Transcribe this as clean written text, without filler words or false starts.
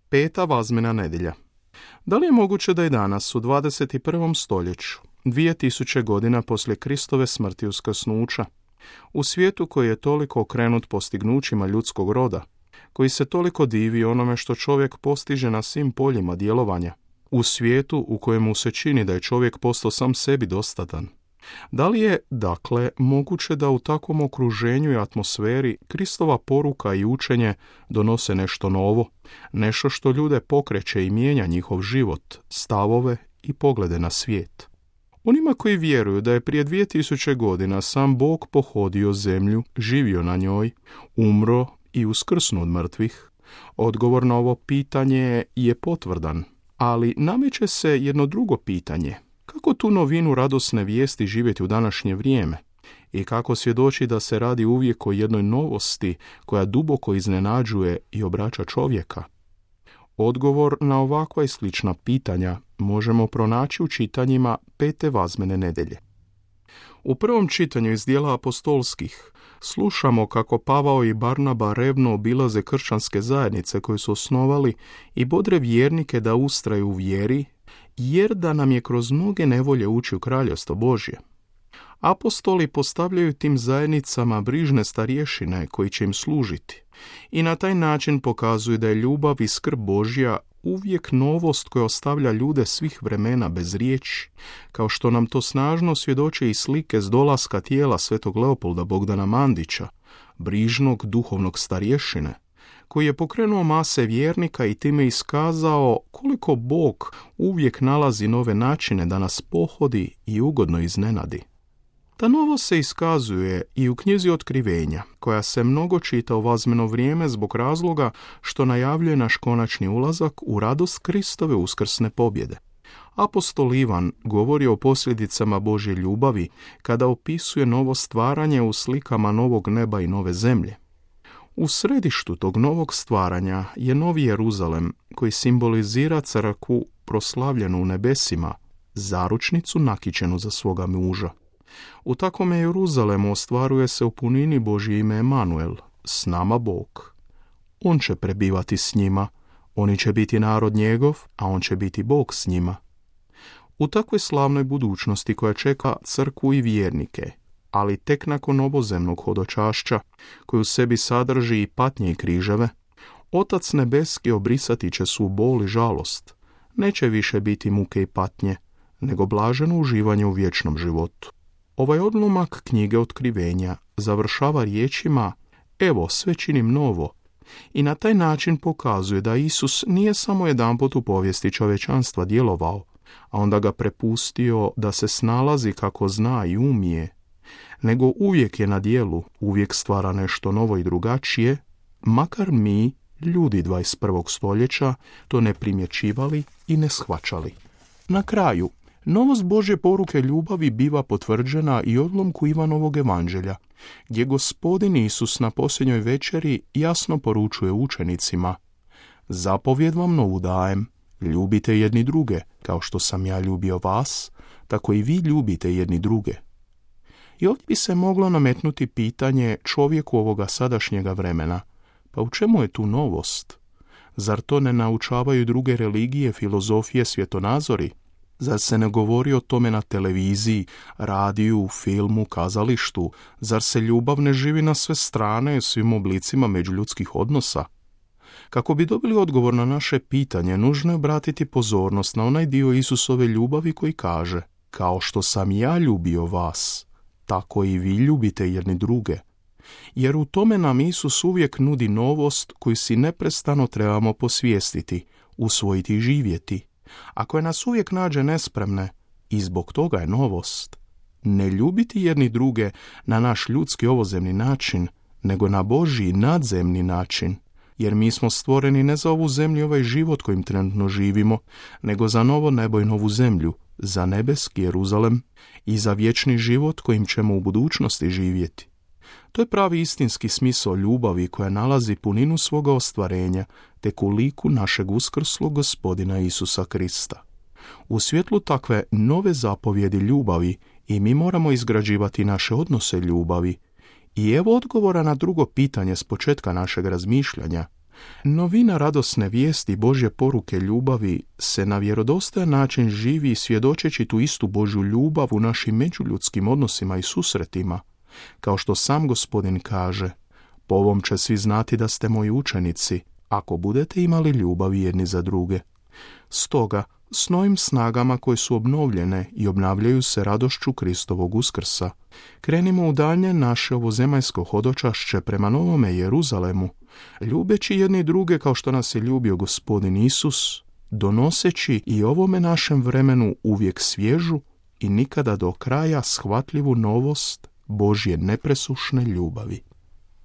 Peta vazmena nedjelja. Da li je moguće da i danas, u 21. stoljeću, 2000 godina poslije Kristove smrti i uskrsnuća, u svijetu koji je toliko okrenut postignućima ljudskog roda, koji se toliko divi onome što čovjek postiže na svim poljima djelovanja, u svijetu u kojemu se čini da je čovjek postao sam sebi dostatan, da li je, dakle, moguće da u takvom okruženju i atmosferi Kristova poruka i učenje donose nešto novo, nešto što ljude pokreće i mijenja njihov život, stavove i poglede na svijet? Onima koji vjeruju da je prije 2000 godina sam Bog pohodio zemlju, živio na njoj, umro i uskrsnuo od mrtvih, odgovor na ovo pitanje je potvrdan, ali nameće se jedno drugo pitanje. Kako tu novinu radosne vijesti živjeti u današnje vrijeme i kako svjedoči da se radi uvijek o jednoj novosti koja duboko iznenađuje i obraća čovjeka? Odgovor na ovakva i slična pitanja možemo pronaći u čitanjima pete vazmene nedjelje. U prvom čitanju iz dijela apostolskih slušamo kako Pavao i Barnaba revno obilaze kršćanske zajednice koje su osnovali i bodre vjernike da ustraju u vjeri, jer da nam je kroz mnoge nevolje ući u kraljevstvo Božje. Apostoli postavljaju tim zajednicama brižne starješine koji će im služiti i na taj način pokazuju da je ljubav i skrb Božja uvijek novost koja ostavlja ljude svih vremena bez riječi, kao što nam to snažno svjedoče i slike s dolaska tijela svetog Leopolda Bogdana Mandića, brižnog duhovnog starješine, koji je pokrenuo mase vjernika i time iskazao koliko Bog uvijek nalazi nove načine da nas pohodi i ugodno iznenadi. Ta novost se iskazuje i u knjizi Otkrivenja, koja se mnogo čita u vazmeno vrijeme zbog razloga što najavljuje naš konačni ulazak u radost Kristove uskrsne pobjede. Apostol Ivan govori o posljedicama Božje ljubavi kada opisuje novo stvaranje u slikama novog neba i nove zemlje. U središtu tog novog stvaranja je Novi Jeruzalem, koji simbolizira crkvu proslavljenu u nebesima, zaručnicu nakićenu za svoga muža. U takvome Jeruzalemu ostvaruje se u punini Božje ime Emanuel, s nama Bog. On će prebivati s njima, oni će biti narod njegov, a on će biti Bog s njima. U takvoj slavnoj budućnosti koja čeka crkvu i vjernike, ali tek nakon novozemnog hodočašća, koji u sebi sadrži i patnje i križeve, Otac nebeski obrisati će svu bol i žalost. Neće više biti muke i patnje, nego blaženo uživanje u vječnom životu. Ovaj odlomak knjige Otkrivenja završava riječima: evo, sve činim novo, i na taj način pokazuje da Isus nije samo jedanput u povijesti čovječanstva djelovao, a onda ga prepustio da se snalazi kako zna i umije, nego uvijek je na djelu, uvijek stvara nešto novo i drugačije, makar mi, ljudi 21. stoljeća, to ne primjećivali i ne shvaćali. Na kraju, novost Božje poruke ljubavi biva potvrđena i odlomku Ivanovog evanđelja, gdje Gospodin Isus na posljednjoj večeri jasno poručuje učenicima: zapovjed vam novu dajem, ljubite jedni druge, kao što sam ja ljubio vas, tako i vi ljubite jedni druge. I ovdje bi se moglo nametnuti pitanje čovjeku ovoga sadašnjega vremena: pa u čemu je tu novost? Zar to ne naučavaju druge religije, filozofije, svjetonazori? Zar se ne govori o tome na televiziji, radiju, filmu, kazalištu? Zar se ljubav ne živi na sve strane, svim oblicima međuljudskih odnosa? Kako bi dobili odgovor na naše pitanje, nužno je obratiti pozornost na onaj dio Isusove ljubavi koji kaže: kao što sam ja ljubio vas, tako i vi ljubite jedni druge. Jer u tome nam Isus uvijek nudi novost koju si neprestano trebamo posvijestiti, usvojiti i živjeti. A koja nas uvijek nađe nespremne, i zbog toga je novost. Ne ljubiti jedni druge na naš ljudski ovozemni način, nego na Božji nadzemni način. Jer mi smo stvoreni ne za ovu zemlju i ovaj život kojim trenutno živimo, nego za novo nebo i novu zemlju, za nebeski Jeruzalem i za vječni život kojim ćemo u budućnosti živjeti. To je pravi istinski smisao ljubavi koja nalazi puninu svoga ostvarenja tek u liku našeg uskrslog Gospodina Isusa Krista. U svjetlu takve nove zapovjedi ljubavi i mi moramo izgrađivati naše odnose ljubavi. I evo odgovora na drugo pitanje s početka našeg razmišljanja: Novina radosne vijesti Božje poruke ljubavi se na vjerodostojan način živi svjedočeći tu istu Božju ljubav u našim međuljudskim odnosima i susretima, kao što sam Gospodin kaže: po ovom će svi znati da ste moji učenici, ako budete imali ljubav jedni za druge. Stoga, s novim snagama koje su obnovljene i obnavljaju se radošću Kristovog uskrsa, krenimo u daljnje naše ovozemaljsko hodočašće prema Novome Jeruzalemu, ljubeći jedni druge kao što nas je ljubio Gospodin Isus, donoseći i ovome našem vremenu uvijek svježu i nikada do kraja shvatljivu novost Božje nepresušne ljubavi.